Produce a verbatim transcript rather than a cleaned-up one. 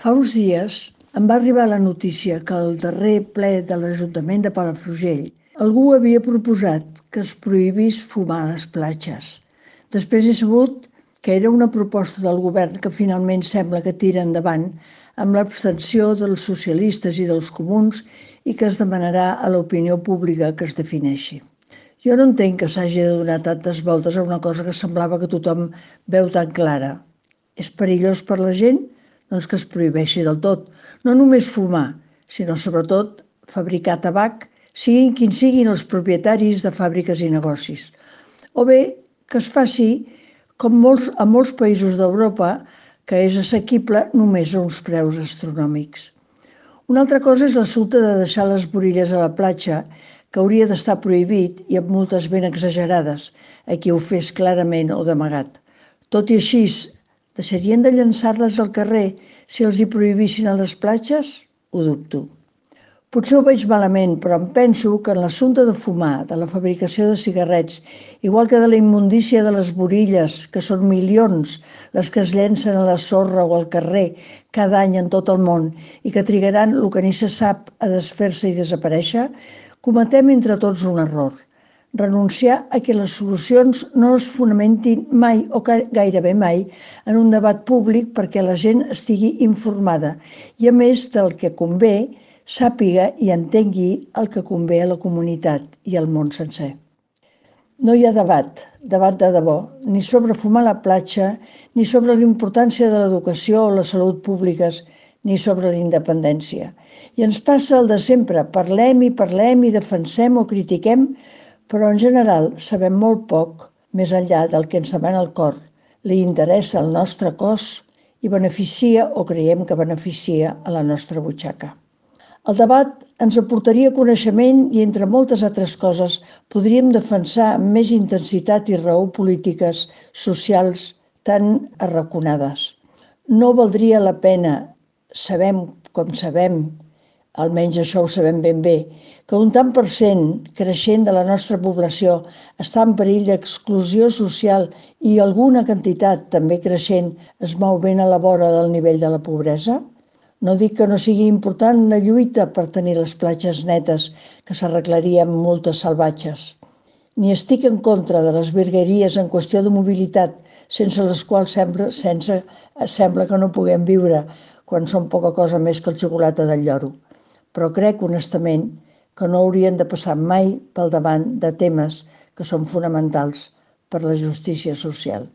Fa uns dies em va arribar la notícia que al darrer ple de l'Ajuntament de Palafrugell algú havia proposat que es prohibís fumar a les platges. Després he sabut que era una proposta del govern que finalment sembla que tira endavant amb l'abstenció dels socialistes i dels comuns i que es demanarà a l'opinió pública que es defineixi. Jo no entenc que s'hagi de donar tantes voltes a una cosa que semblava que tothom veu tan clara. És perillós per la gent? Doncs que es prohibeixi del tot. No només fumar, sinó sobretot fabricar tabac, siguin quins siguin els propietaris de fàbriques i negocis. O bé que es faci com molts, a molts països d'Europa, que és assequible només a uns preus astronòmics. Una altra cosa és l'assumpte de deixar les borilles a la platja, que hauria d'estar prohibit i amb multes ben exagerades a qui ho fes clarament o d'amagat. Tot i així, deixarien de llançar-les al carrer si els hi prohibissin a les platges? Ho dubto. Potser ho veig malament, però em penso que en l'assumpte de fumar, de la fabricació de cigarrets, igual que de la immundícia de les borilles, que són milions les que es llencen a la sorra o al carrer cada any en tot el món i que trigaran el que ni se sap a desfer-se i desaparèixer, cometem entre tots un error. Renunciar a que les solucions no es fonamentin mai o gairebé mai en un debat públic perquè la gent estigui informada i, a més del que convé, sàpiga i entengui el que convé a la comunitat i al món sencer. No hi ha debat, debat de debò, ni sobre fumar a la platja, ni sobre la importància de l'educació o la salut públiques, ni sobre la independència. I ens passa el de sempre, parlem i parlem i defensem o critiquem, però en general sabem molt poc més enllà del que ens demana el cor, li interessa el nostre cos i beneficia o creiem que beneficia a la nostra butxaca. El debat ens aportaria coneixement i, entre moltes altres coses, podríem defensar amb més intensitat i raó polítiques socials tan arraconades. No valdria la pena, sabem com sabem, almenys això ho sabem ben bé, que un tant per cent creixent de la nostra població està en perill d'exclusió social i alguna quantitat també creixent es mou ben a la vora del nivell de la pobresa? No dic que no sigui important la lluita per tenir les platges netes, que s'arreglaria amb multes salvatges. Ni estic en contra de les virgueries en qüestió de mobilitat, sense les quals sembla, sense, sembla que no puguem viure quan són poca cosa més que el xocolata del lloro. Però crec, honestament, que no haurien de passar mai pel davant de temes que són fonamentals per la justícia social.